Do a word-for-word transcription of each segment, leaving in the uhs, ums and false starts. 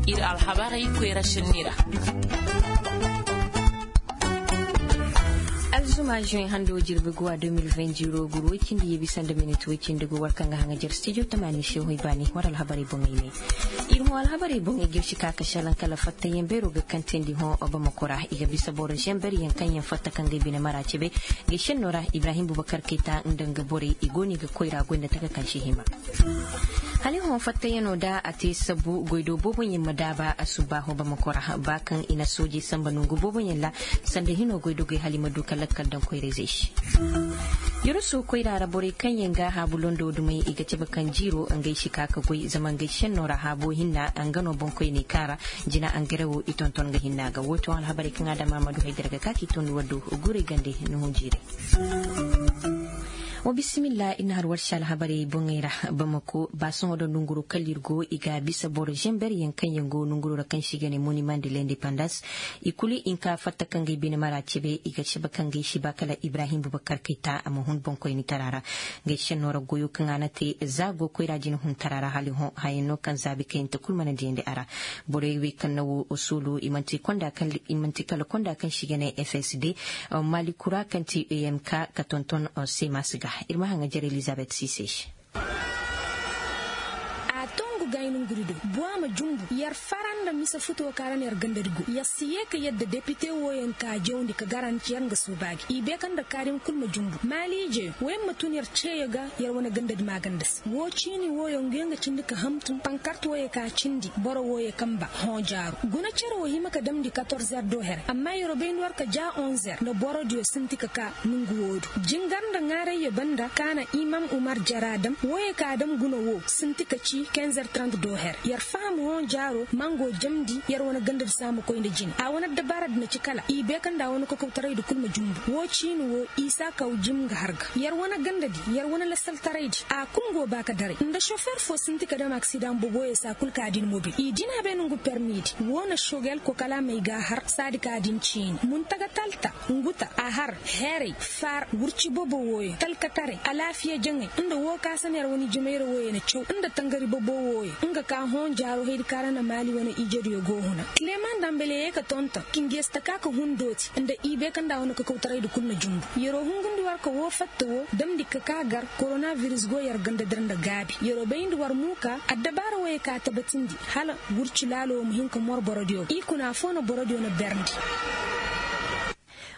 Ir alhabarey koyra sinni ra. Alzuma juin hando jirbi guwa deux mille vingt zero guru woy cindi yeebi sanda minit woy cindi gu war kaŋ ga haŋajer studio tamaani se hoy baani war alhabarey boŋey ne. Ir hõ alhabarey boŋey ga ir si ka ka šelaŋ kala fattayaŋ beero ga kantandi hõ bamako ra i ga bisa boro zember yaŋ kaŋ yaŋ fatta kaŋ ga ay bine mara cebe. Ga ay šenno ra ibrahim bubakar kayta nda nga borey i go no i ga koyra goy nda taka kaŋ si hima. Hala i hõ fattayaŋo da a te sabbu goy do booboyaŋ ma daaba a subbaaho bamako ra ba kaŋ i na soojey samba nongu booboyaŋ ra. Sanda hino goy dogey hala i ma du ka lakkal daŋ koyra-izey se. Yoroso koyra ra borey kaŋ yaŋ ga haabu londo dumey i ga cabe kaŋ jiiro ngey si ka ka goy zama ngey šenno ra haabo hinna nga no boŋkoyney kaŋ ra. Jina angare wo i tonton ga hinna ga woo ti woo alhabarey kaŋ a dam a ma du haydara ga ka k'i tondi war do. Guray gande nuhun jiiray. Wa bisimilla ir na har war se alhabarey boŋey ra. Bamako ba sohõ da nonguro kala ir go i ga bisa boro zember yaŋ kaŋ yaŋ go nonguro ra kaŋ se i ga ne monimand de lindepandans. I kulu i nka fatta kaŋ ga ay bine mara cebe i ga cebe kaŋ ga ay si ba kala ibrahim bubakar kayta a ma hun boŋkoynitara ra. Ga ay senno ra goyo kaŋ a na te za go koyra jina huntara ra hala i hõ hayaŋ no kaŋ zaabi kayante kulu mana diyandi a ra. Borey wey kaŋ na wo suulu i manti kala konda kaŋ si ga ne fsd. Malikura kaŋ ti emk ka tonton semas ga. Ir ma haŋajer elizabet sise se. A tongu gayni nguri do. Bowa ma jumbu yer fara nda mise futo ka ra na yer gandadi go yer si yee ka yadda depite wooyaŋ ka jawndi ka garanti yer nga suuba gi i beeka nda kaadin kul ma jumbu maaliije wooyaŋ ma tun yer ceeyo ga. Yer wane gandadi maaganda se woo ciini wooyo nguyo nga cindi ka hamtum pankart wooyo ka cindi boro wooyo kamba hõ jaaro guna cere woo hima ka damndi katorzer do here amma yer wo bayndi war ka ja onzer nda borodiyo sinti ka ka nongu woo do jingar nda ŋaarayyo banda ka na imam umar jara dam wooyo ka dam guna woo sinti ka ci kinzer trant do here yer faham hõ jaaro mango jamndi yer wane gandadi se a ma koy nda jine a wane addabaaradi na ci kala i beeka nda a wane kokowtaraydi kul ma jumbu woo ciini woo isa kaw jim nga har ga yer wane gandadi yer wane lasaltaraydi a kul ngo ba ka daray nda sofer foo sinti ka dam aksidaŋ boboyo se a kul ka din mobil i din a bay nongu permidi woo na sogel kokala may ga har saadi ka din ciini muntaga talta nguta a har heeray faar wurci bobo wooyo talkataray alaafiya jaŋay nda woo ka sanayer wane jimayra wooyo na caw nda tangari bobo wooyo nga ka hõ jaaro haydi ka ra na maali wane ijediyo go huna kileman dambale yee ka tonton kingeesta ka ka hun dooti nda i beeka nda wane kakawtaraydi kul na jumbu yeroo hungundi war ka woo fatta woo damndi ka ka gar koronabiris go yer ganda dir nda gaabi yeroo bayndi war muuka addabaara wooyo ka tabatindi hala wurci laalo woo ma hin ka mor borodiyo i kuna foo na borodiyo na berndi.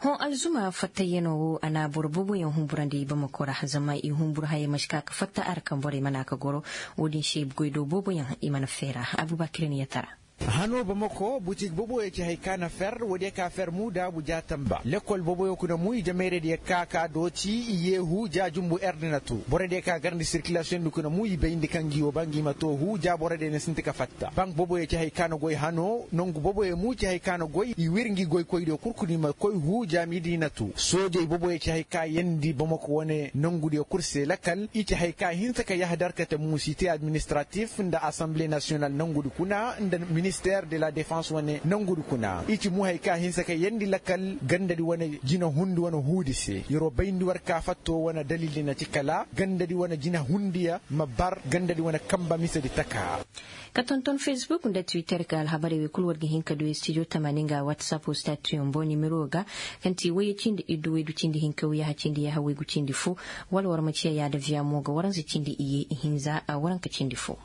Hõ alzuma fattayanoo woo a na boro booboyaŋ humburandi bamako ra zama i humbur hayey ma si ka ka fatta a ra kaŋ borey mana ka goro. Woo din se goy do booboyaŋ i mana feera. Abubakir ni yatara. Hanoo bamako butik booboyo ci hay ka na fer woodiyo ka fer muu daabu ja tamba lekol booboyo kuna muu i jamayradiyo ka ka dooti i yeehu ja jumbu erdinato borodiyo ka garndi sirkilasiyoŋ di kuna muu i bayndi kaŋ ngi woo ba ngi ma too huu ja borodiyo na sinti ka fatta bank booboyo ci hay ka na goy hanoo nongu booboyo muu ci hay ka na goy i wir ngi goykoydiyo kul kuna i ma koy huu ja miidinatu soojey booboyo ci hay ka yeendi bamako wane nongudiyo kul se lakal i ci hay ka hinsa ka yahadar kate muusite administratif nda asanble nasiyonal nongudi kuna nda minister de la defans wane nongudi kuna i ci muu hay ka hinsa ka yeendi lakal gandadi wane jina hundi wane huudi se yeroo bayndi war ka fattoo wane dalildi na ci kala gandadi wane jina hundiya ma bar gandadi wane kamba misedi taka. Ka tonton fesbuk nda twitter ka alhabarey wey kul war ga hin ka du studio tamaani nga whatsapp statuyo mbo nimero ga kaŋ ti wayye cindi iddu waydu cindi hinka wayyaha cindi yaha waygu cindi fo. Wala war ma ciya yaada viya mo ga waranza cindi iye ihinza a waranka cindi fo.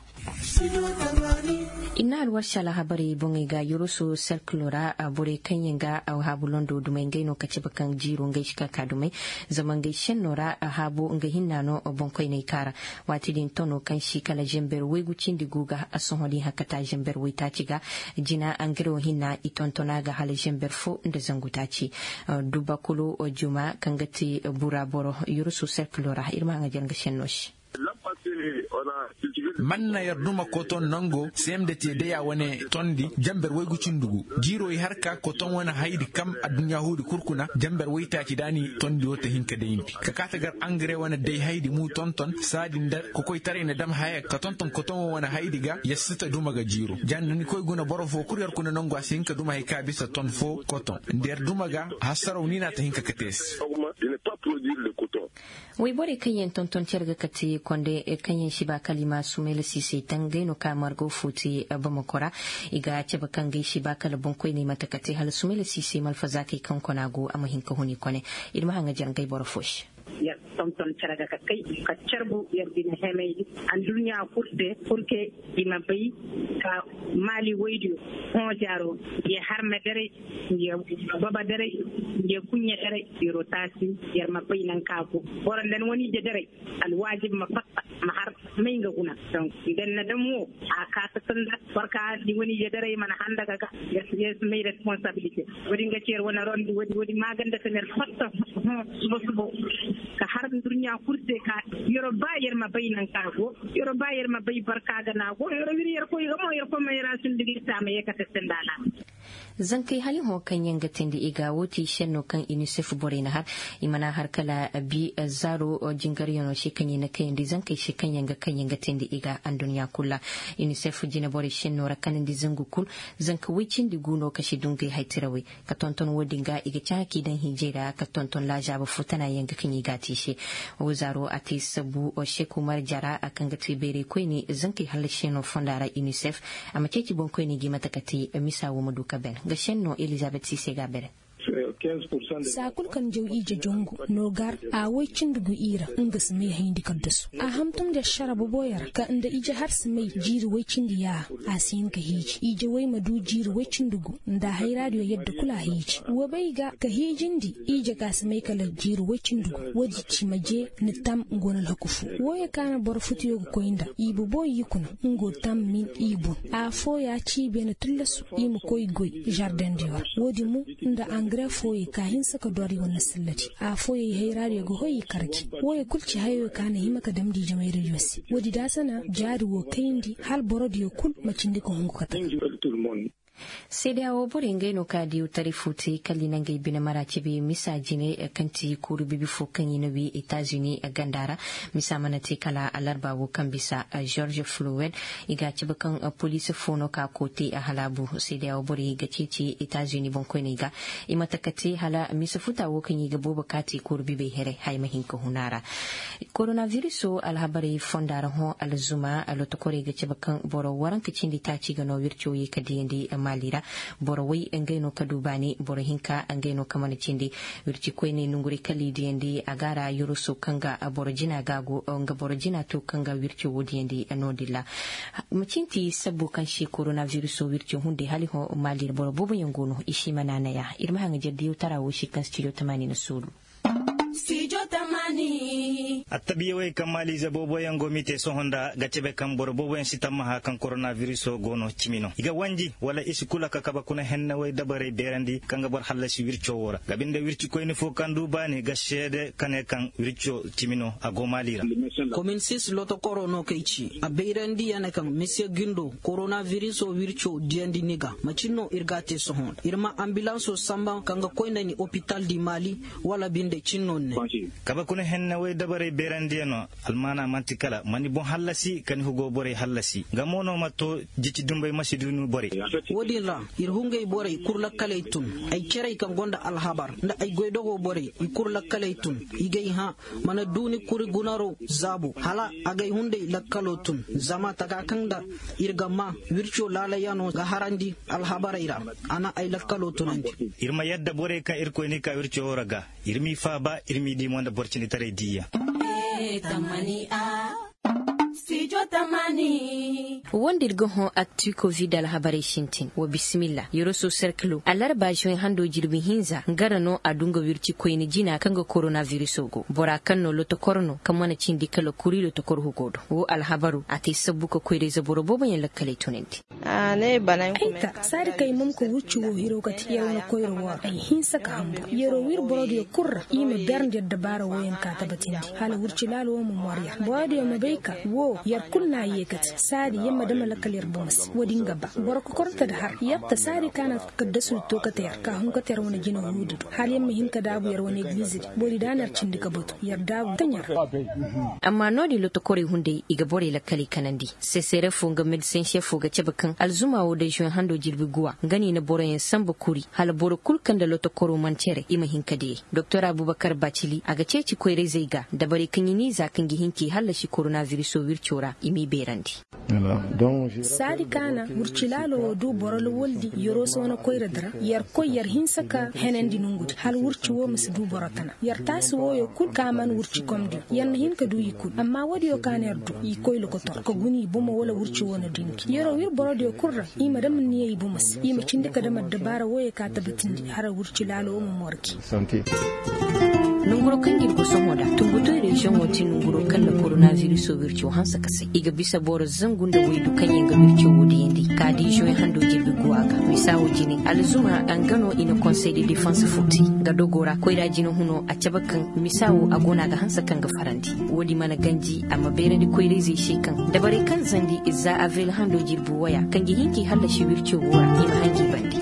Ir na alwarsi alhabarey boŋey ga yoroso serkilo ra borey kaŋ yaŋ ga haabu londo dumey ngey no ka cabe kaŋ jiiro ngey si ka ka dumey. Zama ngey senno ra haabo nga hinna no boŋkoyney ka ra. Waati din tono kaŋ si kala zember waygu cindi gu ga a sohõ din hakkata zember waytaaci ga. Jina angare wo hinna i tonton a ga hala zember fo nda zangu taaci. Dubakulu juma kaŋ ga ti bura boro yoroso serkilo ra ir ma haŋajer nga senno se. Man na yer duma koton nango semde te deya wane tondi jamber waygu cindi gu jiiro i har ka koton wane haydi kam adduɲɲa huudi kul kuna jamber waytaaci da ni tondi wo te hin ka dayndi ka kaa ta gar angare wane day haydi mu tonton saadi nda kokoytaray na dam haya ka tonton koton wo wane haydi ga yer si ta duma ga jiiro ja nda ni koy guna boro fo kul yer kuna nango a si hin ka duma hay ka bisa ton fo koton nda yer duma ga hasaraw ni na ta hin ka kate se. Wayborey kaŋ yaŋ tonton care ga kate konde. Yaŋ si ba kala i ma sumayla siisay taŋ gay no ka margo fo te bamako ra. I ga cabe kaŋ gay si ba kala boŋkoyney mate ka te hala sumayla siisay malfazaakey kaŋ kona go a ma hin ka hun i kone. Ir ma haŋ ga jar ngey boro fo se. Yer tonton cere ga ka kay ka carbu yer bine hemey di. Anduɲɲa kul se purke i ma bay ka maali woydiyo hõ jaaro. Ye harme daray, ye baba daray, ye kuɲɲe daray. Yer'o taasi yer ma bay naŋ ka go boro nda ni wani ije daray. Alwaajib ma fatta ma har may nga guna. Donk nda ni na dam wo a kaata sanda barka ni wani ije daray mana handa ga ga. Yer si may responsabilite. Wo- din ga ci yer wane rondi wo- din maaganda se ner fatta hõ suba suba. Ka har nduɲɲa kul se ka yer'o ba yer ma bay naŋ ka go. Yer'o ba yer ma bay barka ga na go yer'o wir yerkoy ga mo yerkoy ma yer a sundugir se a ma ye kate sanda na. Zankey hali hõ kaŋ yaŋ ga teendi i ga woo ti šenno kaŋ inisef borey na har. I mana har kala bi zaaro jingaryaŋo se kaŋ i na kayandi zankey se kaŋ yaŋ ga kaŋ yaŋ ga teendi i ga anduɲɲa kul ra. Inisef jineborey šenno ra kanandi zangu kul. Zanka woy cindi gu no ka si dungay haytirawey ka tonton woo din ga i ga cahã k'i daŋ hiijey ra ka tonton laazaaba foo tana yaŋ ga kaŋ i g'a te i se. Woo zaaro a te sabu šek umar jara kaŋ ga te bayray koyne zankey hallasiyaŋo fonda ra inisef. A ma ceeci boŋkoyney ga i mate ka te misa wo ma du ka ben ga šenno elizabet si se ga a bere. Saa kul kaŋ jaw ije jongu no gar a woy cindi gu i ra. Nga si may hayndi kaddasu a hantum nda ašara boboyo ra ka nda ije har si may jiiri woy cindi yaaha. A si hin ka hiiji ije woy ma du jiiri woy cindi gu nda hayraadiyo yadda kul a hiiji. Wa bay ga ka hiijindi ije ka si may kala jiiri woy cindi gu. Woodi ci ma jee ni tam nga wane alhaku foo wooyo ka na boro futuyo ga koy nda i boboyo i kuna. Nga wo tam min i bun. Afooya ci i beene tullasu i ma koy goy žardeŋdiyo ra. Woodi mo nda angare fooyey ka hinsa ka dor i wane salladi. Afooyey hayraadiyo ga hoy i karji. Wooyo kul ci hayoyo ka na hima ka damndi jamayradiyo se woodi daasana jaari woo kayndi hala borodiyo kul ma cindi ka hungu ka taka. Seedeya woo borey ngey no ka diiwtaray foo te kala i na ngey bine mara cebe misa jine kaŋ ti kuuru bibi foo kaŋ i na wii etazini ganda ra. Misa mana te kala alarba woo kaŋ bisa žorž flowed. I ga a cebe kaŋ poliisi foo no ka koo te a halaabu seedeya woo borey ga ceeci etazini boŋkoyney ga. I ma taka te hala misa futa woo kaŋ i ga boobo ka te kuuru bibey here haya ma hin ka hun a ra. Koronabiriso alhabarey fonda ra hõ alzuma lotokorey ga cabe kaŋ boro waranka cindi taaci ga no wirco ye ka diyandi maali ra. Boro way ngey no ka du baani boro hinka ngey no ka mana cindi. Wirci koyney nonguray kala i diyandi a ga a ra yoroso kaŋ ga boro jina ga go nga boro jina to kaŋ ga wirco wo diyandi no- din ra. Macin ti sabbo kaŋ se koronabiriso wirco hunday hala i hõ maali ra boro booboyaŋ go no i si ma naanaya ir ma haŋajer diyawtara wo se kaŋ stijo tamaani na soolu. Attabiya wey kaŋ maaliize booboyaŋ go m'i te sohõ nda ga cebe kaŋ boro booboyaŋ si tammaha kaŋ koronabiriso go no cimi no i ga wanji wala i si kula ka kabe kuna henne wey dabarey beerandi kaŋ ga boro hallasi wirco wo ra ga binde wircikoyni fo kaŋ du baani ga seede ka ne kaŋ wirco cimi no a go maali ra. Komin sis lotokoro no kay ci a bayrandi ya ne kaŋ misiye gindo koronabiriso wirco diyandi ni ga macin no ir ga a te sohõ nda ir ma ambilanso samba kaŋ ga koy nda ni opital di maali. Wala binde cinno ne. Kabe kuna henne wey dabarey beerandiyaŋo almaana man'ti kala ma ni boŋ hallasi ka ni hugo borey hallasi nga mo no ma to jici dumbey ma si du ni borey. Wo-din ra ir hungey borey kul lakkaley tun ay cerey kaŋ gonda alhabar nda ay goydogoo borey i kul lakkaley tun. I gay hã mana du ni kuri gunaro zaabo hala agay hunday lakkaloo tun zama taka kaŋ nda ir ga maa wirco laalayano ga harandi alhabarey ra. A na ay lakkaloo tunandi. Ir ma yadda borey kaŋ irkoy n'i ka wirco woo ra ga ir m'i faaba ir m'i dii mo nda boro cinditaray diiyaŋ. Woo nda ir ga hõ akti kovid alhabarey sintin wa bisimilla yoroso serkilo alarba zuweŋ hando jirbi hinza nga ra no a du nga wirci koyne jina kaŋ ga koronabiriso go bora kaŋ no lotokor no kaŋ mana cindi kala kuri lotokor hugo do woo alhabaru a te sabbu ka koyrayze boro booboyaŋ lakkaley tunandi. Ay ta saadi kay mum ka wurci woo hiro kate yer wane koyra woo ra ay hinsa ka hambu yeroo wir borodiyo kul ra i ma berndi addabaara wooyaŋ ka tabatindi hala wurci laala woo ma mor yer borodiyo ma bay ka woo yer kul na a yee kate saadi yer ma dama lakkal yer bomo se woodi nga ba boro kokornte nda har yer ta saadi ka na kaddasudi to kate yer ka hun kate yer wane jina huudi do hala yer ma hin ka daabu yer wane egiliizidi woodi da na yer cindi ka batu yer daabu taɲa ra. Amma no-din lotokorey hunday i ga borey lakkaley kanandi. Sesere fo nga mediseŋ šefo ga cabe kaŋ alzuma woo day zuweŋ hando jirbi guwa nga no i na boroyaŋ sanba kuri hala boro kul kaŋ nda lotokoro mana cere i ma hin ka diyey. Doktor abubakar bacili a ga ceeci koyrayzey ga dabarey kaŋ i n'i za kaŋ ga hin k'i hallasi koronabiriso. Cora i m'i beerandi. Saadi kaana wirci laalo wo du boro lawaldi yeroo soona koyradi ra. Yer koy yer hinsa ka henandi nongudi hala wirci wo ma si du boro tana. Yer taasi wooyo kul ka man wirci komdiyo yer na hin ka du i kul amma woodiyo kaana yer du i koy lokotor ka guna i bomo wala wirci wo na dindi yeroo wir borodiyo kul ra. I ma dam niya i bomo se i ma cindi ka dam addabaara wooyo ka tabatindi hala wirci laalo wo ma morgi. Nonguroo kaŋ ga ir go sohõ nda tumbutoy reziyoŋo te nonguroo kaŋ nda koronabiriso wirco hanse ka say i ga bisa boro zangu nda waydu kaŋyaŋ ga wirco wo diyandi ka di zoŋ hando jirbi go a ga misa wo jine alzuma nga no i na konsey de defans furti. Nga dogo ra koyra jine huno a cabe kaŋ misa wo a go no a ga hanse kaŋ ga farandi. Woodi mana ganji a ma beerandi koyrayzey se kaŋ dabarey kaŋ zandi za avril hando jirbi waya kaŋ ga hin k'i hallasi wirco wo ra i ma hanji bande.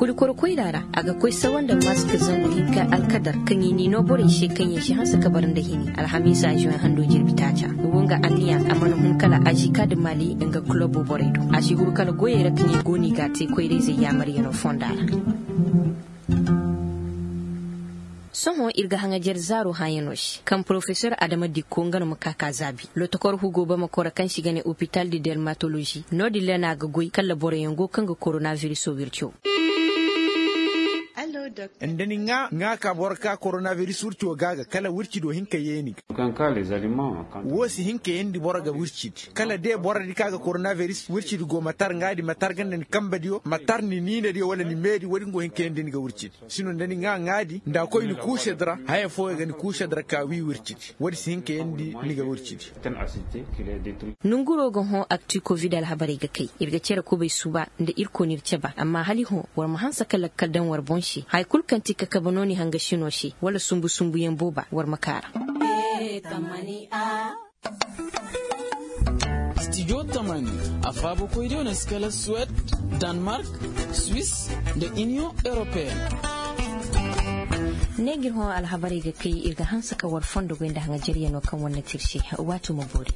Kuli koro koyra ra a ga koy sawa nda mask zangu hinka alkadar kaŋ i n'i noo borey se kaŋ yaŋ si hanse ka bara nda hini alhamiisa zoŋ hando jirbi taaca. Wo nga anniya a mana hun kala azika nda mali nga kulobo borey do a si huru kala goyey ra kaŋ i go no i g'a te koyrayzey yaamaryanoo fonda ra. Sohõ ir ga haŋajer zaaro hãyanoo se kaŋ porofesor adama dikko nga no ma ka ka zaabi lotokor hugo bamakora kaŋ se i ga ne opital de dermatolozi. No-din ra no a ga goy kala boroyaŋ go kaŋ ga koronabiriso wirco. Nda ni ŋaa ŋaa ka boro ka koronabiriso wirco ga ga kala wirci do hinka yeeni ga. Wo si hin ka yeendi boro ga wircidi kala de borodi ka ga koronabiris wircidi go ma tar ŋaadi ma tar ga nda ni kambadiyo ma tar ni niinadiyo wala ni meedi woodi nga go hin ka yeendi ni ga wircidi. Sino nda ni ŋaa ŋaadi nda a koy ni kuusedi ra haya fooyo ga ni kuusedi ra ka wii wircidi. Woodi si hin ka yeendi ni ga wircidi. Nonguroo ga hõ akti kovid alhabarey ga kay ir ga cere kubay suba nda irkoy n'ir caba amma hala i hõ war ma hanse ka lakkal daŋ war boŋ se haya kul kaŋ ti kakaba nooni hangasinoo se wala sumbu sumbuyaŋ booba war ma kaa ra. Stijo tamani a faabakoydiyo na si kala suwed, danmark, swis, nda iniyoŋ europeyen. Ne g'ir hõ alhabarey ga kay ir ga hanse ka war fondo goy nda haŋajaryanoo kaŋ war na te ir se. Waati ma boori.